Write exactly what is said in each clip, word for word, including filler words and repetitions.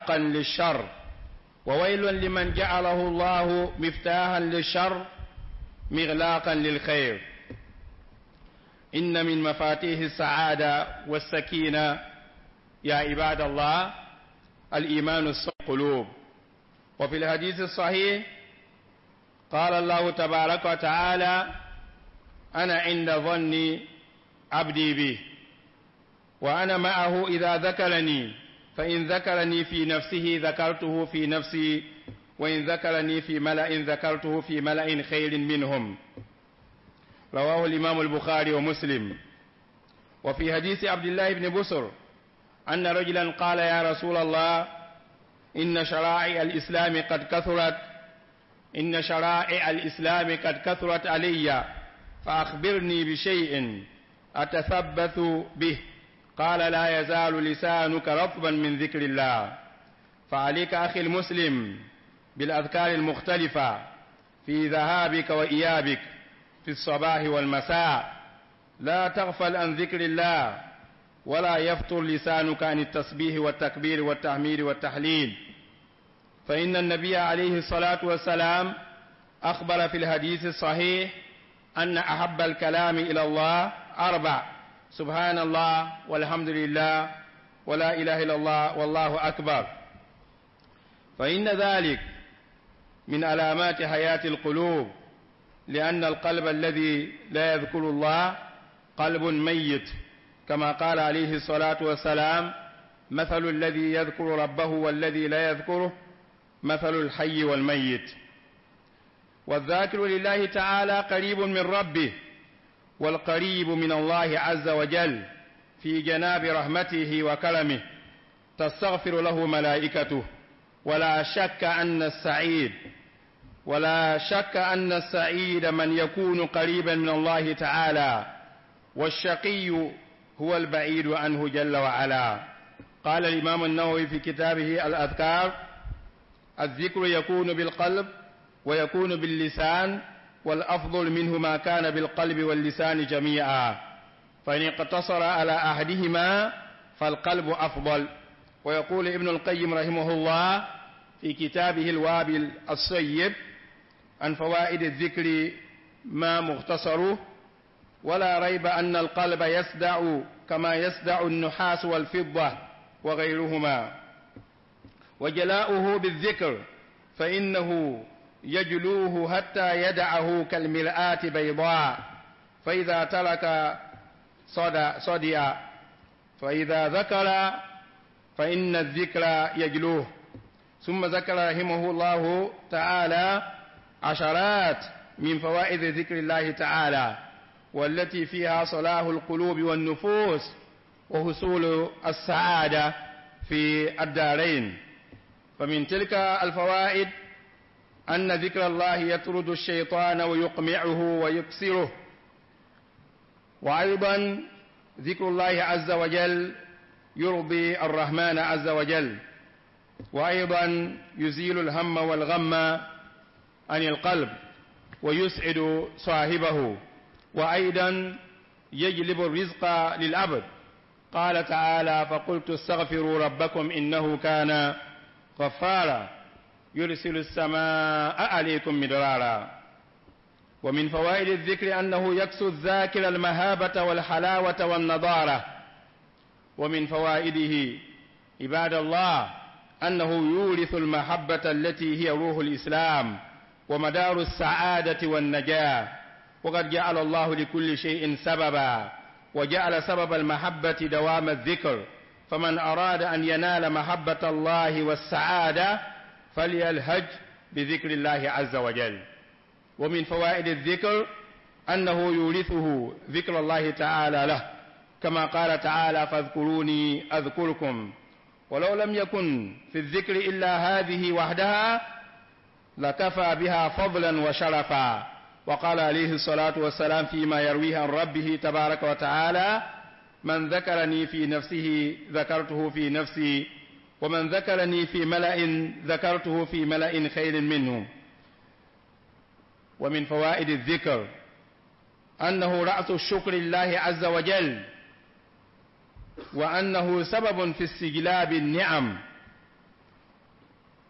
مغلاقا للشر، وويل لمن جعله الله مفتاحا للشر مغلاقا للخير. إن من مفاتيح السعادة والسكينة يا عباد الله الإيمان القلوب. وفي الحديث الصحيح قال الله تبارك وتعالى: أنا عند ظن عبدي بي وأنا معه إذا ذكرني، فإن ذكرني في نفسه ذكرته في نفسي، وإن ذكرني في ملأ ذكرته في ملأ خير منهم. رواه الإمام البخاري ومسلم. وفي حديث عبد الله بن بسر أن رجلا قال: يا رسول الله، إن شرائع الإسلام قد كثرت، إن شرائع الإسلام قد كثرت علي، فأخبرني بشيء أتثبت به. قال: لا يزال لسانك رطبا من ذكر الله. فعليك أخي المسلم بالأذكار المختلفة في ذهابك وإيابك، في الصباح والمساء. لا تغفل عن ذكر الله، ولا يفتر لسانك عن التسبيح والتكبير والتحميد والتهليل، فإن النبي عليه الصلاة والسلام أخبر في الحديث الصحيح أن أحب الكلام إلى الله أربع: سبحان الله، والحمد لله، ولا إله إلا الله، والله أكبر. فإن ذلك من علامات حياة القلوب، لأن القلب الذي لا يذكر الله قلب ميت، كما قال عليه الصلاة والسلام: مثل الذي يذكر ربه والذي لا يذكره مثل الحي والميت. والذاكر لله تعالى قريب من ربه، والقريب من الله عز وجل في جناب رحمته وكرمه تستغفر له ملائكته. ولا شك أن السعيد ولا شك أن السعيد من يكون قريبا من الله تعالى، والشقي هو البعيد عنه جل وعلا. قال الإمام النووي في كتابه الأذكار: الذكر يكون بالقلب ويكون باللسان، والأفضل منه ما كان بالقلب واللسان جميعا، فإن اقتصر على أحدهما فالقلب أفضل. ويقول ابن القيم رحمه الله في كتابه الوابل الصيب عن فوائد الذكر ما مختصره: ولا ريب أن القلب يصدأ كما يصدأ النحاس والفضة وغيرهما، وجلاؤه بالذكر فإنه يجلوه حتى يدعه كالمرآة بيضاء، فإذا ترك صدأ صدئ، فإذا ذكر فإن الذكر يجلوه. ثم ذكر رحمه الله تعالى عشرات من فوائد ذكر الله تعالى، والتي فيها صلاح القلوب والنفوس وحصول السعادة في الدارين. فمن تلك الفوائد أن ذكر الله يطرد الشيطان ويقمعه ويكسره، وأيضا ذكر الله عز وجل يرضي الرحمن عز وجل، وأيضا يزيل الهم والغم عن القلب ويسعد صاحبه، وأيضا يجلب الرزق للعبد. قال تعالى: فقلت استغفروا ربكم إنه كان غفارا يرسل السماء عليكم مدرارا. ومن فوائد الذكر أنه يكسو الذاكر المهابة والحلاوة والنضارة. ومن فوائده عباد الله أنه يورث المحبة التي هي روح الإسلام ومدار السعادة والنجاة. وقد جعل الله لكل شيء سببا، وجعل سبب المحبة دوام الذكر، فمن أراد أن ينال محبة الله والسعادة فليلهج بذكر الله عز وجل. ومن فوائد الذكر أنه يورثه ذكر الله تعالى له، كما قال تعالى: فاذكروني أذكركم. ولو لم يكن في الذكر إلا هذه وحدها لكفى بها فضلا وشرفا. وقال عليه الصلاة والسلام فيما يرويه عن ربه تبارك وتعالى: من ذكرني في نفسه ذكرته في نفسي، ومن ذكرني في ملأ ذكرته في ملأ خير منه. ومن فوائد الذكر أنه رأس الشكر لله عز وجل، وأنه سبب في استجلاب النعم.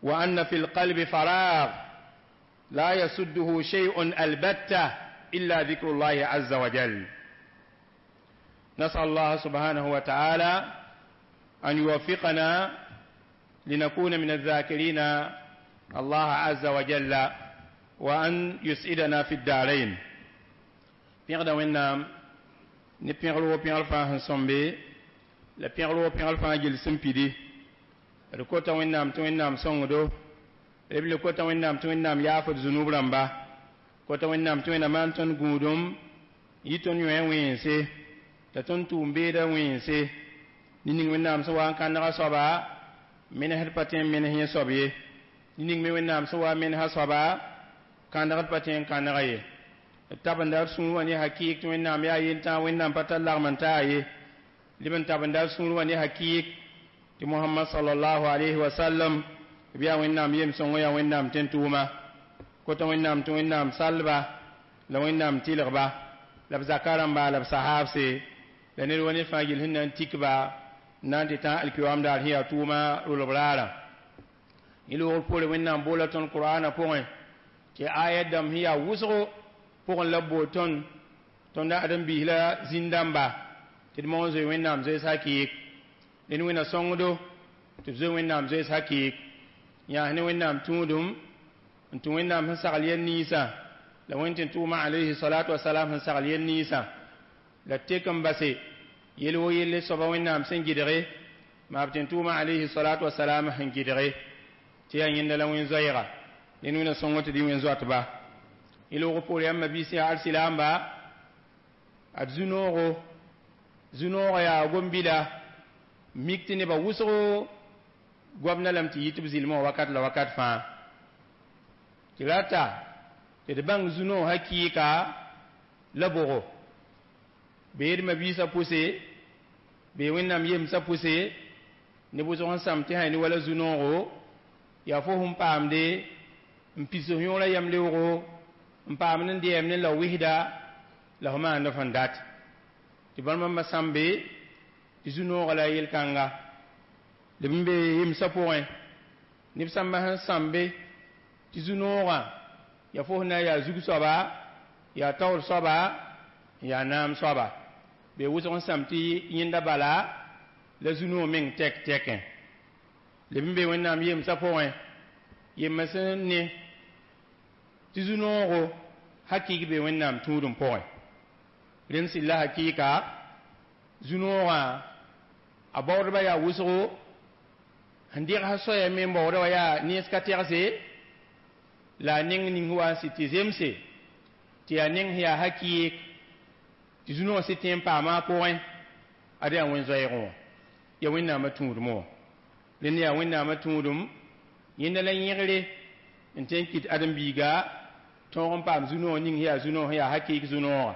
وأن في القلب فراغ لا يسده شيء البتة إلا ذكر الله عز وجل. نسأل الله سبحانه وتعالى أن يوفقنا لنكون من الذاكرين الله عز وجل وأن يسعدنا في الدارين. Pẽgda Wẽnnaam ne pẽgr wo pẽgr fãa sẽn sõmbe la pẽgr wo pẽgr fãa gill sẽn pidi. D kota Wẽnnaam tɩ Wẽnnaam sõngdo b le kota Wẽnnaam tɩ Wẽnnaam yaafd zunub rãmba, kota Wẽnnaam tɩ Wẽnnaam maan tõnd gũudum yɩ tõnd yõe wẽense la tõnd tʋʋm beeda wẽense ne ning Wẽnnaam sẽn wa n kãnega soaba menesd pa tõe n menes yẽ soab ye, ne ning me Wẽnnaam sẽn wa n menesa soaba kãnegd pa tõe n kãnega ye. D tabenda d sũur wã ne hakɩɩk tɩ Wẽnnaam yaa yentã, Wẽnnaam pa tar lagm n taa ye. Leb n tabenda d sũur wã ne hakɩɩk tɩ Mohamad sallallahu alayhi wa sallam b yaa Wẽnnaam yem-sõng, yaa Wẽnnaam tẽn-tʋʋma. Kota Wẽnnaam tɩ Wẽnnaam salba la Wẽnnaam tɩlgba la b zaka rãmba la b sahaabse la ned wa ned fãa gill sẽn na n tikba n na n tɩ tã alkiyoam daar sẽn yaa tʋʋma rolb raarã. Yẽ loogr poore Wẽnnaam boola tõnd Qur'ana pʋgẽ tɩ ayat dãmb sẽn yaa wʋsgo pʋgẽ la b bool tõnd tõnd ãdem-biis la zĩn-dãmba tɩ d mong n zoe Wẽnnaam zoees hakɩɩk. Ned Wẽnna sõngdo tɩ b zoe Wẽnnaam zoees hakɩɩk, yãas ne Wẽnnaam tũudum n tũ Wẽnnaam sẽn sagl yɛl ninsã la Wẽnd tɩ tʋʋma alayhi salatu wasalam sẽn sagl yɛl ninsã la tek n base yel wo yelle soaba Wẽnnaam sẽn gɩdge maa b tɩ tʋʋma alayhi salatu wasalam sẽn gɩdge tɩ yaa yẽnda la wẽn-zoɛɛga. Ned Wẽnna sõngo tɩ dɩ wẽn-zoatba. Yẽ loog poore yãmb mabiis yaa alsilaamba ad zu-noogo zu-noogã yaa gom-bila mik tɩ nebã wʋsgo goamda lame tɩ yɩ tɩ b zɩlmã wã wakat la wakat fãa tɩ rata tɩ d bãng zu-noog hakɩɩka la bʋgo bee d mabiisã pʋse bee Wẽnnaam yemsã pʋse neb wʋsg sẽn sãm tɩ sã ne wala zu-noogo yaa fo sẽn paamde n pis f yõorã yam leoogo n paamd n dɛɛmd n la wɩsda la f maand f sẽn dat tɩ bãmb bãmba sãmbe tɩ zu-noogã la yel-kãnga leb n be yemsã pʋgẽ neb sãmbã sẽn sãmbe tɩ zu-noogã yaa fo sẽn na n yaa zug soaba, yaa taoor soaba, yaa naam soaba bee wʋsg n sãm tɩ yẽnda bala la zu-noog meng tɛk tɛkẽ. Leb n be Wẽnnaam yemsã pʋgẽ yembã sẽn ne tɩ zu-noogo hakɩɩk be Wẽnnaam tũudum pʋgẽ. Rẽnd sɩd la hakɩɩka zu-noogã a baoodbã yaa wʋsgo sẽn degsa soaya me n baooda wã yaa nens ka tɛgse la a neng ning wa n sɩd tɩ zemse tɩ yaa neng sẽn yaa hakɩɩk tɩ zu-noogã sɩd tẽ n paama a pʋgẽ ad yaa wẽn-zoɛɛgẽ wã yaa Wẽnnaamã tũudmẽ wã. Rẽnd yaa Wẽnnaamã tũudum yẽnda la yẽgre n tõe n kɩt ãdem-biiga tõog n paam zu-noog ning sẽn yaa zu-noog sẽn yaa hakɩɩk zu-noogã,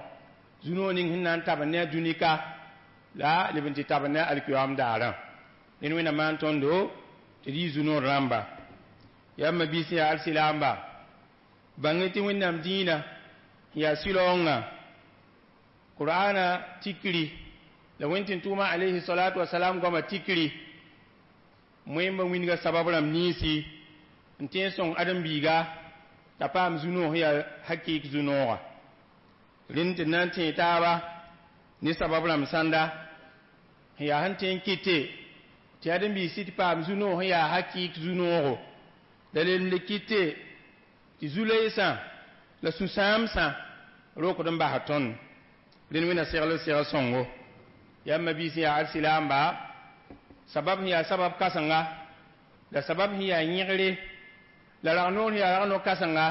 zu-noog ning sẽn na n tabend ne a dũni ka la leb n tɩ tabend ne a alkiyoam daarã. Ned Wẽnnaam maan tõndo tɩ d yɩ zu-noor rãmba. Yaa mabiis yaa alsilaamba bãng tɩ Wẽnnaam dĩinã yaa sɩlaoongã Qur'ana tikri la Wẽnd tɩ tʋʋma alayhi salatu wasalam goama tikri moẽmba wĩnga sabab rãmb ninsi n tõe n sõng ãdem-biiga t'a paam zu-noog sẽn yaa hakɩɩk zu-noogã. Rẽnd tɩ d na n tẽe taaba ne sabab rãmb sãnda sẽn yaa sẽn tõe n kɩte tɩ ãdem-biig sɩd paam zu-noog sẽn yaa hakɩɩk zu-noogo la lem le kɩte tɩ zu-loeesã la sũ-sãamsã rokd n basd tõnd. Rẽnd Wẽnna segl segl sõngo. Yaa mabiis yaa alsilaamba sabab sẽn yaa sabab kãsenga la sabab sẽn yaa yẽgre la rag-noor sẽn yaa rag-no kãsenga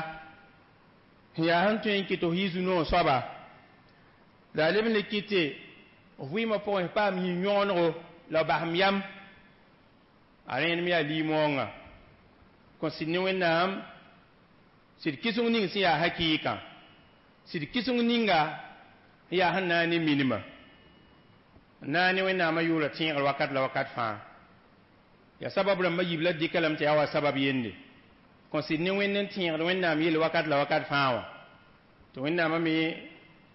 sẽn yaa sẽn tõe n kɩt f yɩ zu-noog soaba la a leb n le kɩte f vɩɩmã pʋgẽ f paam yĩn-yõgenego la basem yam a rẽenem yaa limoongã kõ sɩd ne Wẽnnaam sɩd kɩseng ning sẽn yaa hakɩɩkã sɩd kɩseng ninga sẽn yaa sẽn na n ne minimã n na n ne Wẽnnaamã yʋʋra tẽegr wakat la wakat fãa yaa sabab rãmbã yiib la d dɩka lame tɩ yaa wa sabab yende kõ sɩd ne Wẽnd n tẽegd Wẽnnaam yell wakat la wakat fãa wã tɩ Wẽnnaamã me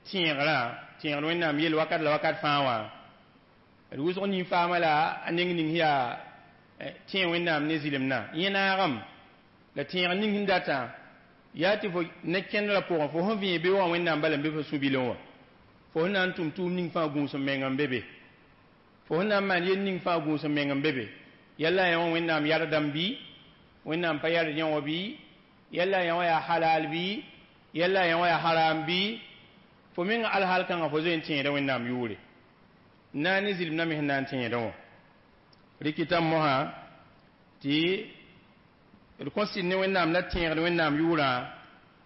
tẽegrã tẽegd Wẽnnaam yell wakat la wakat fãa wã d wʋsg nin-faamã la a neng ning yaa Tẽ Wẽnnaam ne zɩlemdã yẽ naagem la tẽeg ning sẽn datã yaa tɩ fo ne kẽndrã pʋgẽ fo sẽn vẽeg be wã Wẽnnaam bala n be fo sũ-bilẽ wã fo sẽn na n tʋm tʋʋm ning fãa gũus n meng n be be fo sẽn na n maan yel ning fãa gũus n meng n be be yalla yã wã Wẽnnaam yardame bɩ Wẽnnaam pa yard yã wã bɩ yalla yã wã yaa halal bɩ yalla yã wã yaa haram bɩ fo meng alhaal kãngã fo zoe n tẽeda Wẽnnaam yʋʋre n na ne zɩlemdã me sẽn na n tẽedẽ wã rɩkɩtame mosã tɩ d kõ sɩd ne Wẽnnaam la tẽegd Wẽnnaam yʋʋrã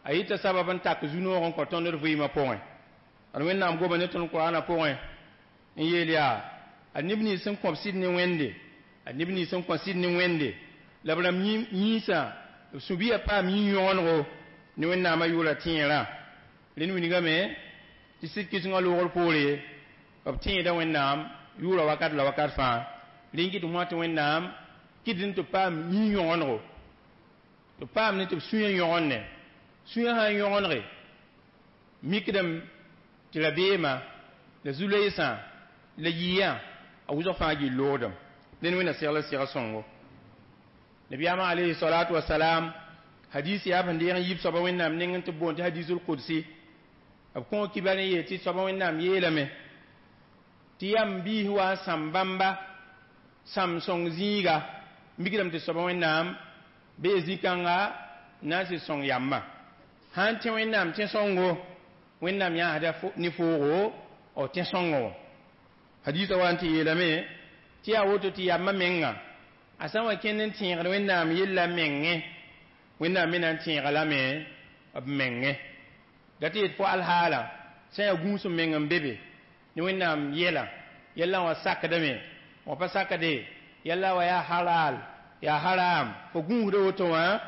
a yita sabab n tak zu-noog n kõ tõnd d vɩɩmã pʋgẽ ad Wẽnnaam goma ne tõnd Koraanã pʋgẽ n yeel yaa ad neb nins sẽn kõb sɩd ne Wẽnde ad neb nins sẽn kõ sɩd ne Wẽnde la b rãmb yĩnsã b sũ-biya paam yĩ-yõgenego ne Wẽnnaamã yʋʋrã tẽerã rẽnd wilgame tɩ sɩd kɩsengã loogr poore b tẽeda Wẽnnaam yʋʋrã wakat la wakat fãa rẽn kɩt mosã tɩ Wẽnnaam kɩt tɩ paam yĩ-yõgenego tɩ paam ne tɩ b sũyã yõgenne sũyã sã n yõgenege mikdame tɩ rabeemã la zu-loeesã la yɩyã a wʋsg fãa gill loogdem dẽn Wẽnna segl sega sõngo nabiyaamã alayhi salatu wasalam hadis yaa sẽn deeg n yib soaba Wẽnnaam nengẽ tɩ b boond tɩ hadisul qudsi b kõ kibar n yeel tɩ soaba Wẽnnaam yeelame tɩ yam biis wa n sãm bãmba sãm sõng zĩiga mikdame tɩ soaba Wẽnnaam bee zĩ-kãnga na n sɩd sõng yambã sã n tẽ Wẽnnaam tẽ-sõngo Wẽnnaam yãasda ne foogo b tẽ-sõngõ wã hadisa wa n tɩ yeelame tɩ yaa woto tɩ yambã menga a sã n wa kẽnd n tẽegd Wẽnnaam yella mengẽ Wẽnnaam me na n tẽega lame b mengẽ da tɩ yet fo alhaala sã n yaa gũus n meng n be be ne Wẽnnaam yɛla yɛllã wã sakdame wã pa sakde yɛlla wa yaa halal yaa haram fo gũusda woto wã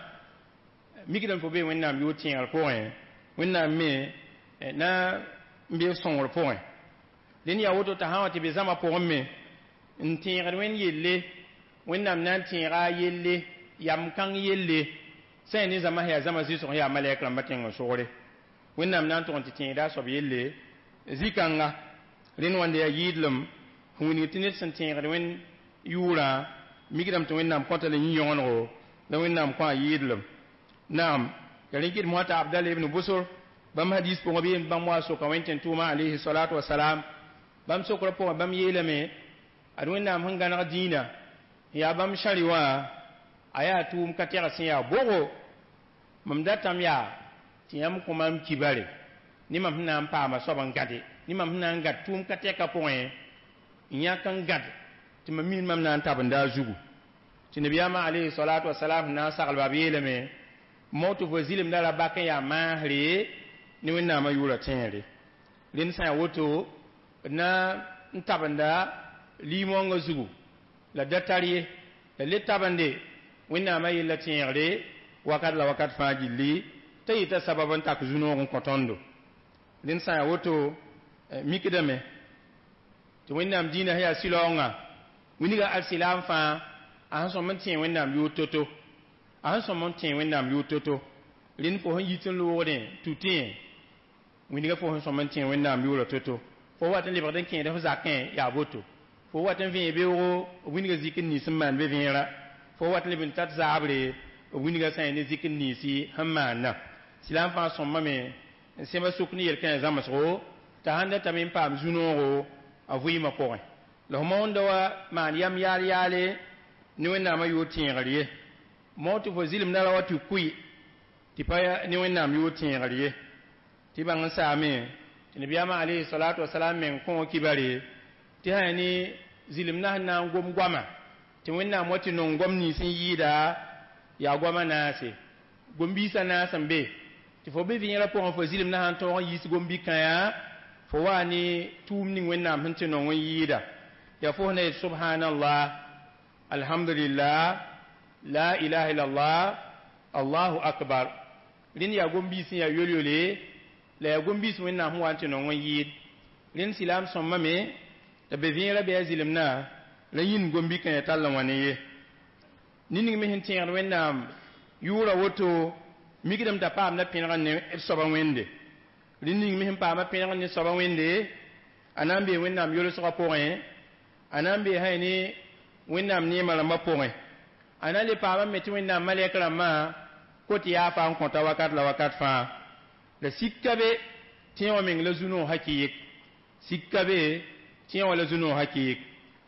mikdame fo bee Wẽnnaam yʋʋr tẽegr pʋgẽ Wẽnnaam me na n be sõngr pʋgẽ dẽnd yaa woto t'a sã n wa tɩ be zãma pʋgẽ me n tẽegd Wẽnd yelle Wẽnnaam na n tẽega a yelle yam kãng yelle sã n ne zãma sẽn yaa zãma zɩsg sẽn yaa malɛk rãmbã tẽng n sogre Wẽnnaam na n tʋg n tɩ tẽeda a soab yelle zĩ-kãnga rẽnd wãnde yaa yɩɩdlem sẽn wilg tɩ ned sẽn tẽegd Wẽnd yʋʋrã mikdame tɩ Wẽnnaam kõta la yĩ-yõgenego la Wẽnnaam kõ a yɩɩdlem naam ya rẽn kɩt mosã t'a Abdal ibn Busr bãmb hadis pʋgẽ bɩ bãmb wa soka Wẽnd tẽn-tʋʋmã alayhi salatu wasalam bãmb sokrã pʋgẽ bãmb yeelame ad Wẽnnaam sẽn gãneg dĩinã n yaa bãmb sãri wã a yaa tʋʋm ka tɛg sẽn yaa bogo mam datame yaa tɩ yãmb kõ mam kibare ne mam sẽn na n paama soab n gãde ne mam sẽn na n gãd tʋʋm ka tɛka pʋgẽ n yãk n gãd tɩ mam mi mam na n tabenda a zugu tɩ nabiyaamã alayhi salatu wasalam sẽn na n saglba b yeelame mao tɩ fo zɩlemda ra bak n yaa maasre ne Wẽnnaamã yʋʋrã tẽegre rẽnd sã n yaa woto d na n tabenda liimoongã zugu la da tar ye la le tabende Wẽnnaamã yella tẽegre wakat la wakat fãa gilli t'a yita sabab n tak zu-noog n kõ tõndo rẽnd sã n yaa woto mikdame tɩ Wẽnnaam dĩinã sẽn yaa sɩlaoongã wilga al-silaam fãa a sẽn sõm n tẽeg Wẽnnaam yʋʋr to-to a sẽn sõm n tẽeg Wẽnnaam yʋʋr to-to rẽnd fo sẽn yit n loogdẽ tutẽ wilga fo sẽn sõm n tẽeg Wẽnnaam yʋʋrã to-to fo wat n lebgd n kẽed f zakẽ yaa boto fo wat n vẽeg beoogo b wilga zik n nins n maan be vẽera fo wat n leb n tat zaabre b wilga sã n ne zik n ninsi sẽn maana silaam fãa sõmbame n sẽba sʋk ne yel-kãe zãmsgo t'a sãn datame n paam zu-noogo a vɩɩmã pʋgẽ la f maoonda wa maan yam yaal yaale ne Wẽnnaamã yʋʋr tẽegr ye mao tɩ fo zɩlemda ra wa tɩ kʋɩ tɩ pa ne Wẽnnaam yʋʋr tẽegr ye tɩ bãng n saame tɩ nabiyaamã alayhi salatu wasalam meng kõ kibare tɩ sã ne zɩlemdã sẽn na n gom goama tɩ Wẽnnaam wa tɩ nong goam nins n yɩɩda yaa goamã naase gom-biisã naas n be tɩ fo be vẽerã pʋgẽ fo zɩlemdã sãn tõog n yiis gom-bi-kãyã fo waa ne tʋʋm ning Wẽnnaam sẽn tɩ nong n yɩɩda yaa fo sẽn na yet subhanallah alhamdulillah la ilaha illallah allahu akbar rẽnd yaa gom-biis sẽn yaa yol-yole la yaa gom-biis Wẽnnaam sẽn wa n tɩ nong n yɩɩd rẽnd silaam sõmbame t'a be vẽerã bɩ a zɩlemdã la yĩnd gom-bi-kãyã tall n wa ne ye ning me sẽn tẽegd Wẽnnaam yʋʋra woto mikdame t'a paamda pẽneg ne b soaba Wẽnde rẽnd ning me sẽn paama pẽneg ne soaba Wẽnde a na n bee Wẽnnaam yolsgã pʋgẽ a na n bee sã ne Wẽnnaam neemã rãmbã pʋgẽ a na n le paamame tɩ Wẽnnaam malɛk rãmbã kot yaafa n kõta wakat la wakat fãa la sika be tẽeg wã meng la zu-noog hakɩɩk sika be tẽeg wã la zu-noog hakɩɩk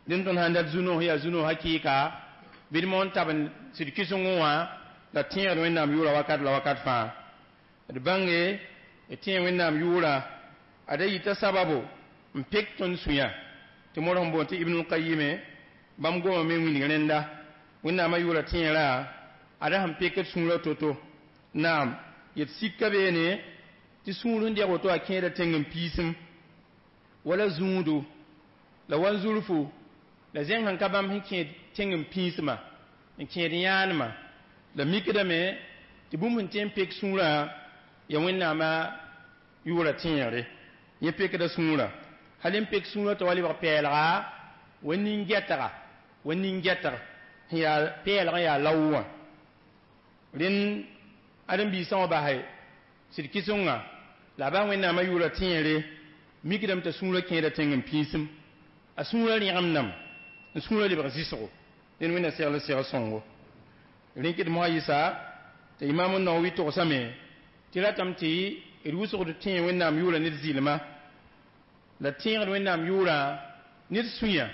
dẽnd tõnd sãn dat zu-noog yaa zu-noog hakɩɩka bɩ d moon tab n sɩd kɩsengẽ wã la tẽegd Wẽnnaam yʋʋra wakat la wakat fãa d bãnge d tẽeg Wẽnnaam yʋʋra ada yita sababo n pek tõnd sũyã tɩ modg n boond tɩ Ibnul Qayime bãmb goma me n wilg rẽnda Wẽnnaamã yʋʋra tẽerã ada sẽn pekd sũurã to-to naam yet sika beene tɩ sũur sẽn deg woto a kẽeda tẽng n piisem wala zũudu la wanzurfu la zẽng sẽn ka bãmb sẽn kẽed tẽng n pĩismã n kẽed yãanema la mikdame tɩ bũmb sẽn tõe n pek sũurã ya Wẽnnaamã yʋʋra tẽegre yẽ pekda sũurã hal n pek sũurã t'a wa lebg pɛɛlga wa nin-gɛtga wa nin-gɛtg sẽn yaa pɛɛlg n yaa lao wã rẽnd ãdem-biisã wã basɛ sɩd kɩsengã la a bas Wẽnnaamã yʋʋra tẽegre mikdame t'a sũurã kẽeda tẽng n pĩisem a sũurã rẽgemdame n sũurã lebg zɩsgo dẽnd Wẽnna segl segl sõngo rẽkd mosã yɩsa t'a Imam Nawawi togsame tɩ ratame tɩ d wʋsgd tẽeg Wẽnnaam yʋʋra ned zɩlma la tẽegd Wẽnnaam yʋʋrã ned sũyã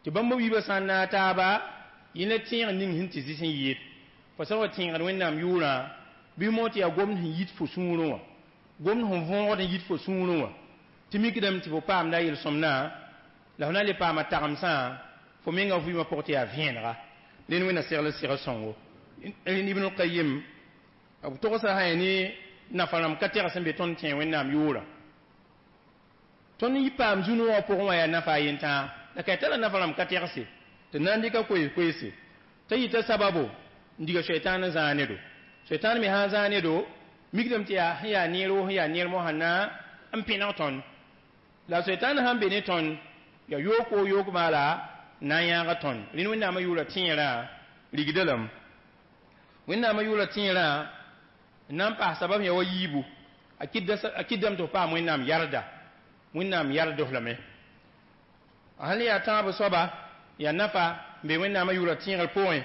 tɩ bãmb wiibã sã n naag taaba yẽ la tẽeg ning sẽn tɩ zɩs n yɩɩd fo sã wa tẽegd Wẽnnaam yʋʋrã bɩ moog tɩ yaa gomd sẽn yit fo sũurẽ wã gomd sẽn võogd n yit fo sũurẽ wã tɩ mikdame tɩ fo paamda a yel-sõmdã la fo na n le paama tagemsã fo menga vɩɩmã pʋg tɩ yaa vẽenega rẽnd Wẽnna segl segl sõngo rẽnd Ibnul Qayim b togsa sã ne nafa rãmb ka tɛgs sẽn be tõnd tẽeg Wẽnnaam yʋʋrã tõnd yɩ paam zu-noogã pʋgẽ wã yaa nafa a yentãa la ka tara nafa rãmb ka tɛgse tɩ na n dɩka koees-koeese t'a yita sababo n diga soɛtãan n zãag ne-do soɛtãan me sã n zãag ne-do mikdame tɩ yaa sẽn yaa neer woo sẽn yaa neer mosã na n pẽneg tõnd la soɛtãan sãn be ne tõnd yaa yook woo yook maala na n yãaga tõnd rẽnd Wẽnnaamã yʋʋra tẽerã rigda lame Wẽnnaamã yʋʋra tẽerã n na n paas sabab ya wa yiibu a kɩdame tɩ f paam Wẽnnaam yarda Wẽnnaam yard f lame a sãn le yaa tãab soaba yaa nafa n be Wẽnnaamã yʋʋra tẽegr pʋgẽ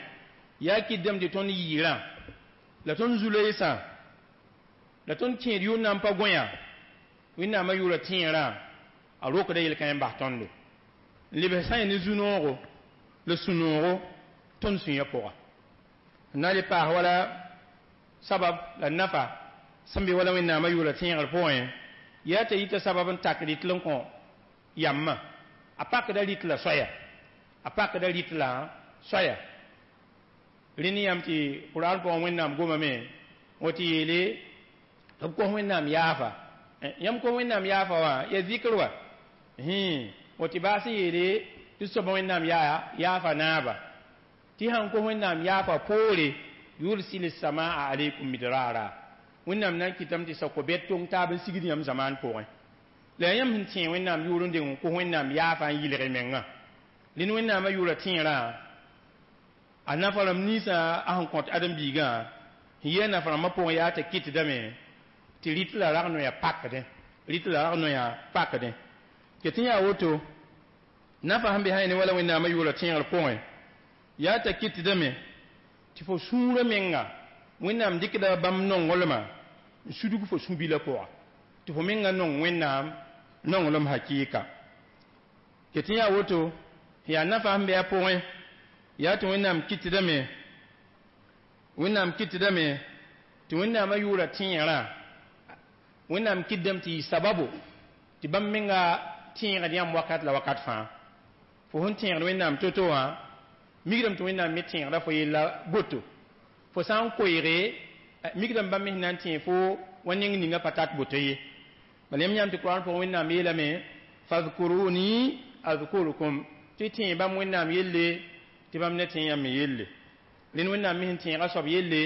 yaa kɩdame tɩ tõnd yɩɩrã la tõnd zu-loeesã la tõnd kẽed yʋʋr na n pa gõya Wẽnnaamã yʋʋra tẽerã a rokda yel-kãe n bas tõndo n lebs sã ne zu-noogo la sũ-noogo tõnd sũyã pʋga n na n le paas wala sabab la nafa sẽn be wala Wẽnnaamã yʋʋra tẽegr pʋgẽ yaa t'a yita sabab n tak rɩtl n kõ yambã a pakda rɩt la soaya a pakda rɩt la soaya rẽnd yãmb tɩ Kuraan pʋgẽ Wẽnnaam gomame wã tɩ yeele tɩ b kos Wẽnnaam yaafa yãmb kos Wẽnnaam yaafa wã ya zikr wa wã tɩ baas n yeele tɩ soaba Wẽnnaam yaa yaafa naaba tɩ sãn kos Wẽnnaam yaafa poore yursil samaa alaykum midrara Wẽnnaam na n kɩtame tɩ sa-ko-bɛd tong taab n sigd yãmb zamaan pʋgẽ la yaa yãmb sẽn tẽeg Wẽnnaam yʋʋr n deng n kos Wẽnnaam yaafa n yɩlg mengã rẽnd Wẽnnaamã yʋʋra tẽerã a nafa rãmb ninsã a sẽn kõt ãdem-biigã sẽn yɩ a nafa rãmbã pʋgẽ yaa t'a kɩtdame tɩ rɩt la rag noya pakdẽ rɩt la rag noya pakdẽ ket n yaa woto nafa sẽn be sã ne wala Wẽnnaamã yʋʋra tẽegr pʋgẽ yaa t'a kɩtdame tɩ fo sũurã menga Wẽnnaam dɩkda bãmb nonglmã n sudg fo sũ-bilã pʋga tɩ fo menga nong Wẽnnaam nonglem hakɩɩka ket n yaa woto yaa nafa sẽn be a pʋgẽ yaa tɩ Wẽnnaam kɩtdame Wẽnnaam kɩtdame tɩ Wẽnnaamã yʋʋra tẽerã Wẽnnaam kɩtdame tɩ yɩ sababo tɩ bãmb menga tẽegd yãmb wakat la wakat fãa fo sẽn tẽegd Wẽnnaam to-to wã mikdame tɩ Wẽnnaam me tẽegda fo yella boto fo sã n koeege mikdame bãmb me sẽn na n tẽeg fo wa neng ninga pa tat boto ye bala yãmb yãmb tɩ Kuraan pʋgẽ Wẽnnaam yeelame fadkuruni adkurukum tɩ tẽeg bãmb Wẽnnaam yelle tɩ bãmb ne tẽeg yãmb me yelle rẽnd Wẽnnaam me sẽn tẽega soab yelle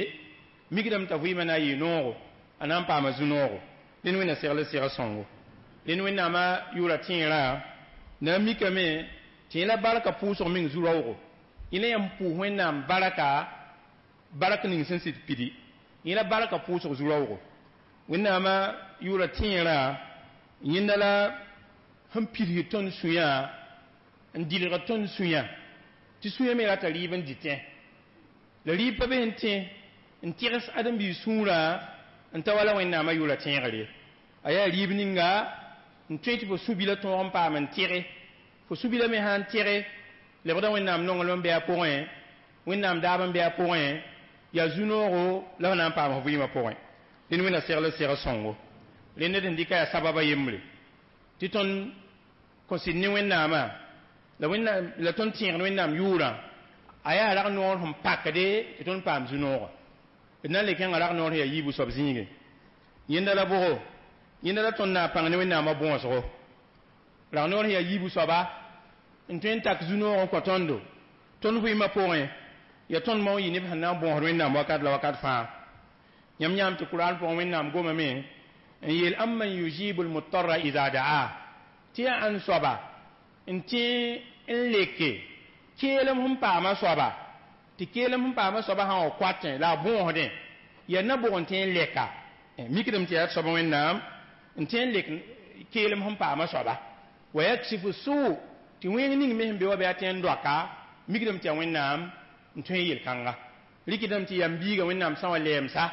mikdame t'a vɩɩmã na n yɩ noogo a na n paama zu-noogo rẽnd Wẽnna segl segl sõngo rẽnd Wẽnnaamã yʋʋra tẽerã na n mikame tɩ yẽ la barka pʋʋsg meng zu-raoogo yẽ la yãmb pʋʋs Wẽnnaam barka bark ning sẽn sɩd pidi yẽ la barka pʋʋsg zu-raoogo Wẽnnaamã yʋʋra tẽerã yẽnda la sẽn pidsd tõnd sũyã n dilg tõnd sũyã Tɩ sũyã me rata rɩɩb n dɩtẽ la rɩɩb pa be n tẽ n tɩgs ãdem-biig sũurã n ta wala Wẽnnaamã yʋʋra tẽegr ye. A yaa rɩɩb ninga n tõe tɩ fo sũ-bilã tõog n paam n tɩge fo sũ-bilã me sã n tɩge lebda Wẽnnaam nonglem n bɩ a pʋgẽ, Wẽnnaam daab n bɩ a pʋgẽ, yaa zu-noogo la f na n paam f vɩɩmã pʋgẽ. Rẽnd Wẽnna segl segl sõngo. Rẽnd d sẽn dɩka yaa sababa yembre tɩ tõnd kõ sɩd ne Wẽnnaamã la Wẽnnaam la tõnd tẽegd Wẽnnaam yʋʋrã a yaa rag noor sẽn pakde tɩ tõnd paam zu-noogã. D na n le kẽnga rag noor sẽn yaa yiibu soab zĩige. Yẽnda la bʋgo, yẽnda la tõnd na n pãng ne Wẽnnaamã bõosgo. Rag noor sẽn yaa yiibu soaba n tõe n tak zu-noog n kõ tõndo tõnd vɩɩmã pʋgẽ, yaa tõnd mao n yɩ neb sẽn na n bõosd Wẽnnaam wakat la wakat fãa. Yãmb yãam tɩ Kuraan pʋgẽ Wẽnnaam gomame n yeel: amman yujibu lmutarra ida daa, tɩ yaa ãn soaba n tẽ n leke keelem sẽn paama soaba, tɩ keelem sẽn paama soaba sã n wa koatẽ la a bõosdẽ, yaa na bʋg n tõe n lɛka? Mikdame tɩ yaa soaba Wẽnnaam n tõe n lek keelem sẽn paama soaba. Wa yaksifu suu, tɩ wẽng ning me sẽn be wa bɩ a tõe n doaka. Mikdame tɩ yaa Wẽnnaam n tõe n yel-kãnga. Rɩkdame tɩ yam biiga Wẽnnaam sã wa lɛɛmsa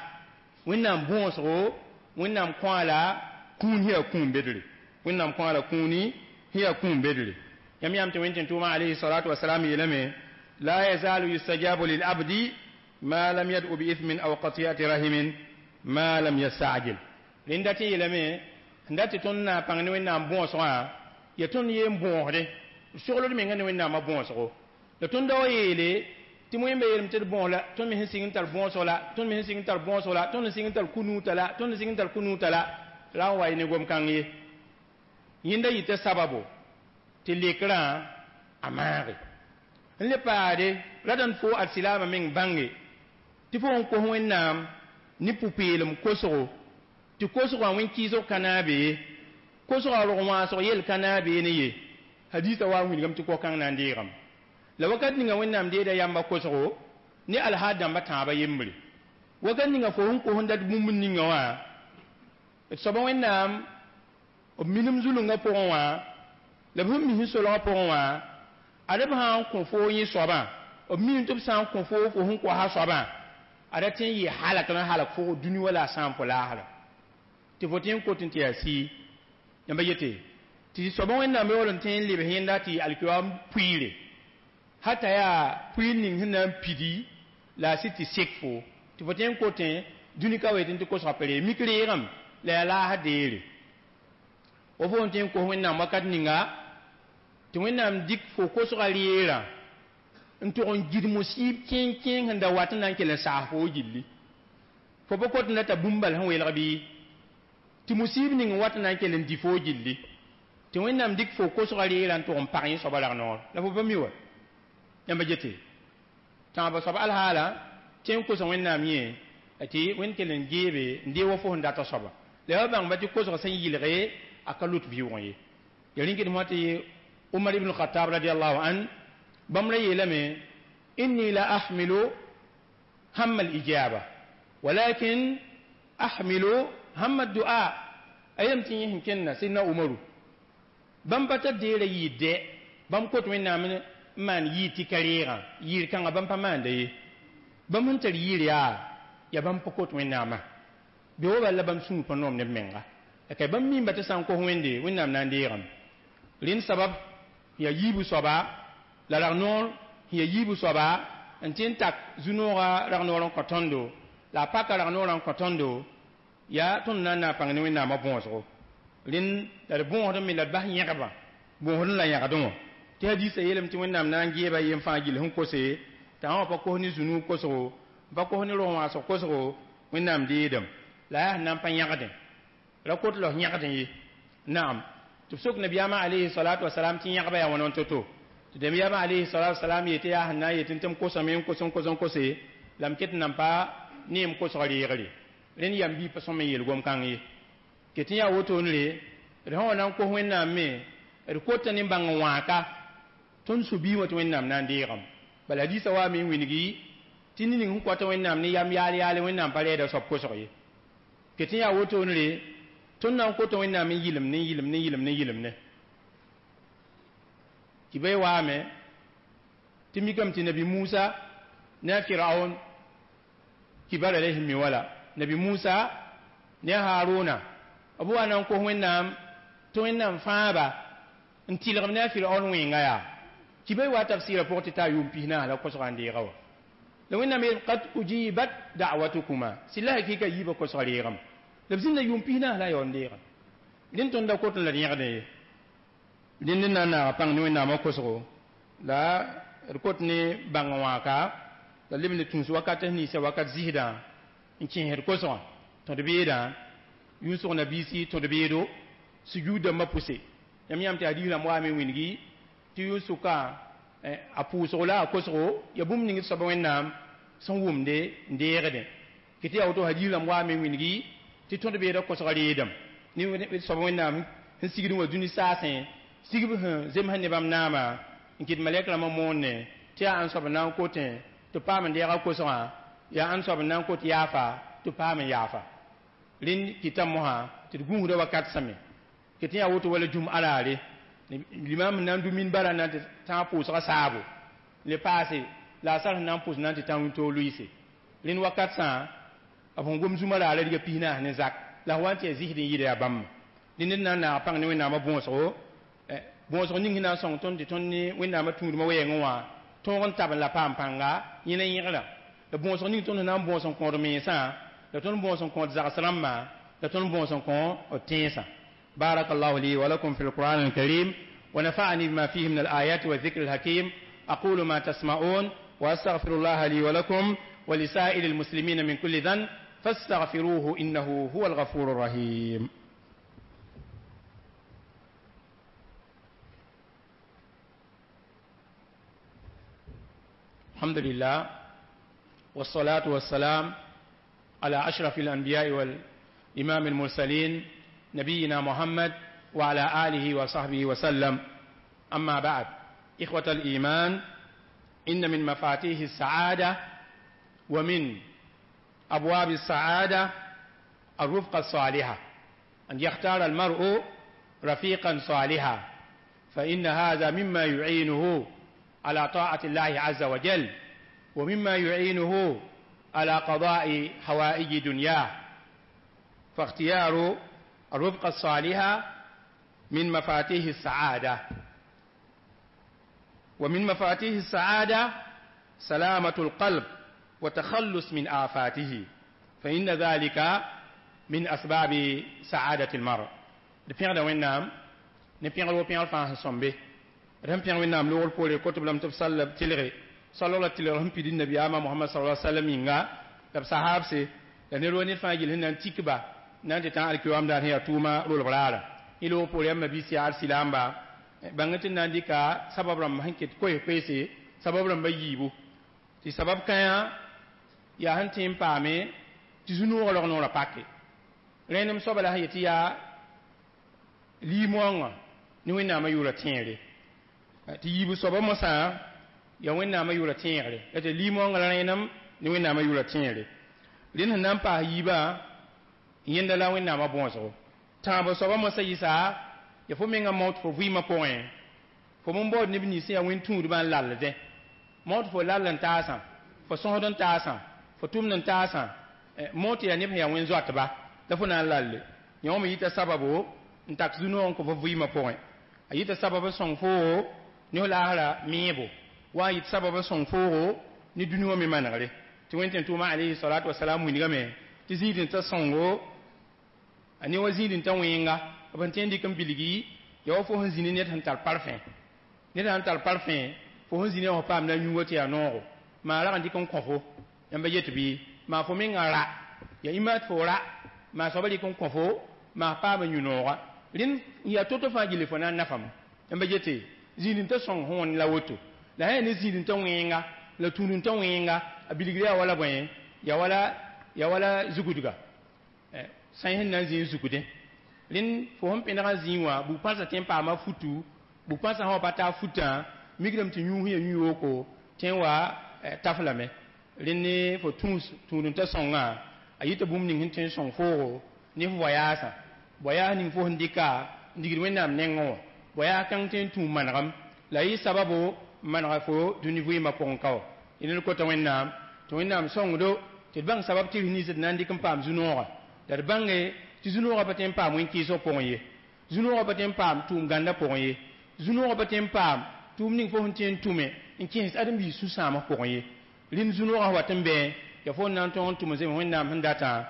Wẽnnaam bõosgo, Wẽnnaam kõ la kũun sẽn yaa kũum bedre, Wẽnnaam kõ la kũuni sẽn yaa kũum bedre. Yãmb yãam tɩ Wẽn tẽn-tʋʋmã alayhi salatu wasalam yeelame: la yazalu yustajabu lilabdi ma lam yad'u biithmin aw qati'ati rahimin ma lam yastajil. Rẽnda tɩ yeelame sẽn dat tɩ tõnd na n pãng ne Wẽnnaam bõosgã, yaa tõnd yeen bõosde sogld menga ne Wẽnnaamã bõosgo. La tõnd da wa yeele tɩ wẽmba yeelame tɩ d bõos la tõnd me sẽn sɩng n tar bõosg la tõnd me sẽn sɩng n tar bõosg la tõnd sẽn sɩng n tar ku-nuutã la tõnd sẽn sɩng n tar ku-nuutã la la n wa ne gom-kãng ye. Yẽnda yɩta sababo tɩ lekrã a maage n le paade ra dãn fo ad silaamã meng bãnge tɩ fo n kos Wẽnnaam ne pʋ-peelem kosgo, tɩ kosgã wẽn-kɩɩsg ka naab ye, kosgã rog wãasg yell ka naab ne ye. Hadiisã wa n wilgame tɩ ko-kãng na n deegame. La wakat ninga Wẽnnaam deeda yamba kosgo ne alhaad dãmbã tãabã yembre, wakat ninga fo sẽn kos n dat bũmb ninga wã, d soaba Wẽnnaam b minim zulungã pʋgẽ wã la b sẽn mis n solgã pʋgẽ wã, ad b sã n kõ foo yẽ soabã, b miime tɩ b sã n kõ foo fo sẽn koasa soabã, ada tẽ n yɩ halak n halak fo dũni wala a sãam fo laasra tɩ fo tẽ n kot n tɩ yaa sii. Yãmba yete tɩ soaba Wẽnnaam yaool n tõe n lebs yẽnda tɩ alkiyoam puiire hata yaa puiir ning sẽn na n pidi la a sɩd tɩ sek fo tɩ fo tõe n kotẽ dũni ka wetẽ tɩ kosga pa ree mik reegame la yaa laasã deere. Wa fo n tõe n kos Wẽnnaam wakat ninga tɩ Wẽnnaam dɩk fo kosga reerã n tʋg n gid musiib kẽeng kẽeng sẽn da wat n na n kell n saas fo gilli. Fo pa kot n data bũmb bal sẽn welg bɩ tɩ musiib ning n wat n na n kell n dɩ fo gilli, tɩ Wẽnnaam dɩk fo kosga reerã n tʋg n pag yẽ soaba rag noor la fo pa mi wa. Yãmba gete tãabã soab alhaala tẽ n kosa Wẽnnaam yẽ tɩ Wẽnd kell n geebe n dee wa fo sẽn data soaba la ya bãngba tɩ kosg sẽn yɩlge a ka lut vɩʋʋgẽ ye. Ya rĩnkd fõ tɩ Umar ibn Khattab radiallahu an bãmb ra yeelame: inni la ahmilu hamma alijaba walakin ahmilu hamma addua. A yeelame tɩ yẽ sẽn kẽnna Sidna Umaru bãmb pa tar deera yɩɩd dɛ, bãmb kot Wẽnnaam n maan yɩɩd tɩ ka reegã yɩɩr kãngã bãmb pa maanda ye, bãmb sẽn tar yɩɩr yaa yaa bãmb pa kot Wẽnnaamã be wa bala la bãmb sũur pa noom neb menga la ka bãmb miimba tɩ sã n kos Wẽnde Wẽnnaam na n deegame. Rẽnd sabab yaa yiibu soaba la rag noor sẽn yaa yiibu soaba n tẽ n tak zu-noogã rag noor n kõ tõndo la a paka rag noorã n kõ tõndo yaa tõnd na n na n pãng ne Wẽnnaamã bõosgo. Rẽnd la d bõosd me la d bas yẽgbã bõosd la yãgdẽ wã tɩ hadiisã yeelame tɩ Wẽnnaam na n geeba yem fãa gill sẽn kose t'a wã pa kos ne zu-nuug kosgo, pa kos ne rog wãasg kosgo, Wẽnnaam deedame la yaa sẽn na n pa yãgdẽ ra kot la f yãgdẽ ye. Naam, tɩ b sok nabiyaamã alayhi salatu wasalam tɩ yãgba yaa wãn n to-to, tɩ nabiyaamã alayhi salatu wasalam yetɩ yaa sẽn na n yetɩ tɩ m kosame n kos n kos n kose la m ket n nan pa ne m kosg reegre. Rẽnd yam bii pa sõm n yeel gom-kãng ye ket n yaa wotone d sã wa na n kos Wẽnnaam me d kota ne bãng n wãaka tõnd su-bii wã tɩ Wẽnnaam na n deegame. Bala hadiisã waame n wilgi tɩ ned ning sẽn koata Wẽnnaam ne yam yaal yaale Wẽnnaam pa rɛɛda soab kosg ye. Ket n yaa wotone tõnd na n kota Wẽnnaam n yɩlem ne yɩlem ne yɩlem ne yɩlem ne tɩ ba waame Tɩ mikame tɩ nabi Musa ne a Firaun kibar alayhim mi wala nabi Musa ne a Haruna b wa na n kos Wẽnnaam tɩ Wẽnnaam fãaba n tɩlgem ne a Firaun wẽnga yaa kiba wa tafsɩɩrã pʋgẽ tɩ taa yʋʋm pis-naas la kosgã n deega wã la Wẽnnaam yeel qad ujibat da'watukuma sɩla hakɩɩka yiibã kosgã reegame la b zĩnda yʋʋm pis-naas la a yaool n deega rẽnd tõnd da kot n la d yẽgdẽ ye rẽnd n na n naaga pãng ne Wẽnnaamã kosgo la d kot ne bãng wãaka la leb ne tũus wakat ninsã wakat zisdã n kẽesd kosgã tõd beedã yʋnsg nabiisi tõd beedo sujuud dãmbã pʋse yãmb yãmb tɩ hadiis rãmb waame wĩngi tɩ yʋn-sʋka a pʋʋsgo la a kosgo ya bũmb ning d soaba Wẽnnaam sẽn wʋmde n deegdẽ kɩ tɩ yaa woto hadiis rãmb waame wĩngi tɩ tõd beedã kosgã reedame ne soaba Wẽnnaam sẽn sigd n wa dũni saasẽ sigb sẽn zemsã ne bãmb naama n kɩt malɛk rãmbã moonne tɩ yaa ãn soab n na n kotẽ tɩ paam n deega kosgã yaa ãn soab n na n kot yaafa tɩ paam n yaafa rẽnd kɩta mosã tɩ d gũusda wakat sãme kɩ tɩ yaa woto wala jũm araare limam sẽn na n dũ minbarã na n tɩ tãag pʋʋsgã saabo le paase la a sar sẽn na n pʋs na n tɩ tã wĩntoog lʋɩɩse rẽnd wakat sã b sẽn gom zũma raarã riga pis-naas ne zak la f wa n tɩ yaa zɩsd n yɩɩda yaa bãmba rẽnd d na n naag pãng ne Wẽnnaamã bõosgo bõosg ning sẽn na n sõng tõnd tɩ tõnd ne Wẽnnaamã tũudmã wɛɛngẽ wã tõog n tab n la paam pãnga yẽna yẽgrã la bõosg ning tõnd sẽn na n bõos n kõod mensã la tõnd bõos n kõod zags rãmbã la tõnd bõos n kõ d tẽensã بارك الله لي ولكم في القرآن الكريم ونفعني بما فيه من الآيات والذكر الحكيم أقول ما تسمعون وأستغفر الله لي ولكم ولسائر المسلمين من كل ذنب فاستغفروه إنه هو الغفور الرحيم. الحمد لله والصلاة والسلام على أشرف الأنبياء والإمام المرسلين نبينا محمد وعلى آله وصحبه وسلم. أما بعد، إخوة الإيمان، إن من مفاتيح السعادة ومن أبواب السعادة الرفقة الصالحة، أن يختار المرء رفيقا صالحا، فإن هذا مما يعينه على طاعة الله عز وجل، ومما يعينه على قضاء حوائج دنياه. فاختيار الرفقة الصالحة من مفاتيح السعادة. ومن مفاتيح السعادة سلامة القلب وتخلص من آفاته، فإن ذلك من أسباب سعادة المرء. دبيان وينام نبيان لو بيان فان سombe rẽm pẽg Wẽnnaam loogr poore koto lame tɩ b sall b tɩlge sall la tɩlg sẽn pid nabiyaamã Mohamad sallallahu alaihi wasallam yĩnga la b sahaabse la ned wa ned fãa gill sẽn na n tik ba na n tɩ tã alkiyoam daar sẽn yaa tʋʋma rolg raara yẽ loog poore yãmb mabiis yaa arsilamba bãng tɩ na n dɩka sabab rãmb sẽn ket koes-koeese sabab rãmbã yiibu tɩ sabab kãyã yaa sẽn tẽ n paame tɩ zu-noogã rog noorã pake rẽnem soaba la sẽn yet tɩ yaa liimoangã ne Wẽnnaamã yʋʋrã tẽegre tɩ yiibu soaba mosã yaa Wẽnnaamã yʋʋrã tẽegre la tɩ liimoangã la rẽnem ne Wẽnnaamã yʋʋrã tẽegre rẽnd sẽn na n paas yiibã yẽnda la Wẽnnaamã bõosgo tãabo soaba mosã yɩsa ya fo mengã maoot fo vɩɩmã pʋgẽ fo n baood neb nins sẽn yaa wẽn-tũudbã n lalldẽ maoot fo lall n taasã fo sõsd n taasã fo tʋmd n taasã maoot yaa neb sẽn yaa wẽn-zoatba la fo na n lalle yã wã me yita sababo n tak zu-noog n kõ fo vɩɩmã pʋgẽ a yita sabab n sõng foogo ne f laasra meebo wa n yit sabab n sõng foogo ne dũni wã me manegre tɩ Wẽn tẽn-tʋʋmã alayhi salatu wasalam wilgame tɩ zĩig n ta sõngo a ne wa zĩig n ta wẽnga b sẽn tõe n dɩk n bilgi yaa wa fo sẽn zĩ ne ned sẽn tar parfẽ ned sãn tar parfẽ fo sẽn zĩ ne wã fo paamda yũuga tɩ yaa noogo maa rag n dɩk n kõ fo yãmba yet bɩ maa fo menga ra yaa ĩma tɩ fo ra maa soaba rɩk n kõ fo maa paam n yũ nooga rẽnd yaa to-to fãa gilli fo na n nafame yãmba yete zĩig n ta sõng sẽn la woto la sã yaa ne zĩig n ta wẽnga la tũud n ta wẽnga a bilgre yaa wala bõe yaa wala yaa wala zugudga sã sẽn na n zĩig n zugdẽ rẽnd fo sẽn pẽneg n zĩig wã bug-pãnsã tõe n paama futu bug-pãnsã sã wa pa taa futã migrame tɩ yũus ya yũ-yooko tõe n wa taf lame rẽnd ne fo tũus tũud n ta sõngã a yita bũmb ning sẽn tõe n sõng foogo ne f voyaasã voyaas ning fo sẽn dɩka n digd Wẽnnaam nengẽ wã voyaas kãng tõe n tũu manegem la yɩ sababo N manega fo dũni vɩɩmã pʋgẽ ka wa. Dẽnd d kota Wẽnnaam tɩ Wẽnnaam sõngdo tɩ d bãng sabab tɩrs nins d na n dɩk n paam zu-noogã, la d bãnge tɩ zu-noogã pa tõe n paam wẽn-kɩɩsg pʋgẽ ye, zu-noogã pa tõe n paam tʋʋm gãndã pʋgẽ ye, zu-noogã pa tõe n paam tʋʋm ning fo sẽn tõe n tʋme n kẽes ãdem-biis sũ-sãamg pʋgẽ ye. Rĩm zu-noogã wat n bẽ ya fo n na n tõog n tʋm n zems Wẽnnaam sẽn datã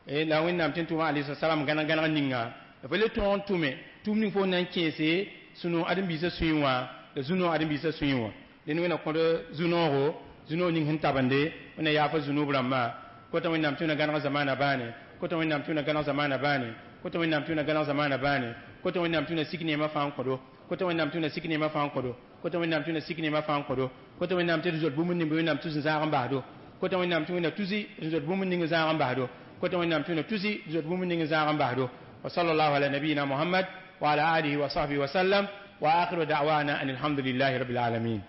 la Wẽnnaam tɩ n tʋma alayhi salam gãneg gãneg ninga, la fo le tõog n tʋme tʋʋm ning fo n na n kẽese sũ-noog ãdem-biisã sũyẽ wã la zu-noog ãdem-biisã sũyẽ wã. Dẽnd Wẽnna kõd zu-noogo, zu-noog ning sẽn tabende Wẽnna yaafa zunub rãmbã. Kota Wẽnnaam tɩ Wẽnna gãneg zamaana bãane, kota Wẽnnaam tɩ Wẽnna gãneg zamaana bãane, kota Wẽnnaam tɩ Wẽnna gãneg zamaana bãane, kota Wẽnnaam tɩ Wẽnna sik neemã fãa n kõdo, kota Wẽnnaam tɩ Wẽnna sik neemã fãa n kõdo, kota Wẽnnaam tɩ Wẽnna sik neemã fãa n kõdo, kota Wẽnnaam tɩ d zoet bũmb ning bɩ Wẽnnaam tus n zãag n basdo, kota Wẽnnaam tɩ Wẽnna tusi n zoet bũmb ning n zãag n basdo, kota Wẽnnaam tɩ Wẽnna tusi n zoet bũmb ning n zãag n basdo. وصلى الله على نبينا محمد وعلى آله وصحبه وسلم، وآخر دعوانا أن الحمد لله رب العالمين.